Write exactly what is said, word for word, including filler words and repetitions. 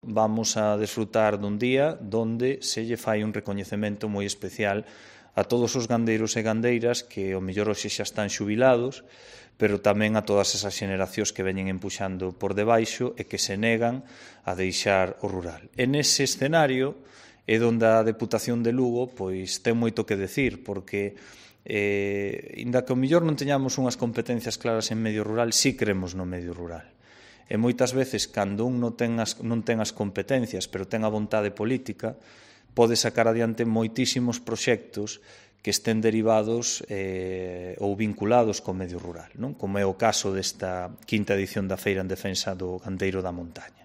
vamos a desfrutar dun día donde se lle fai un recoñecemento moi especial a todos os gandeiros e gandeiras que ao mellor hoxe xa están xubilados, pero tamén a todas esas xeneracións que veñen empuxando por debaixo e que se negan a deixar o rural. En ese escenario é onde a Deputación de Lugo pois ten moito que decir, porque eh, inda que ao mellor non teñamos unhas competencias claras en medio rural, sí creemos no medio rural. E moitas veces, cando un non ten as, non ten as competencias, pero ten a vontade política, pode sacar adiante moitísimos proxectos que estén derivados eh, ou vinculados co medio rural, non? Como é o caso desta quinta edición da Feira en Defensa do Gandeiro da Montaña.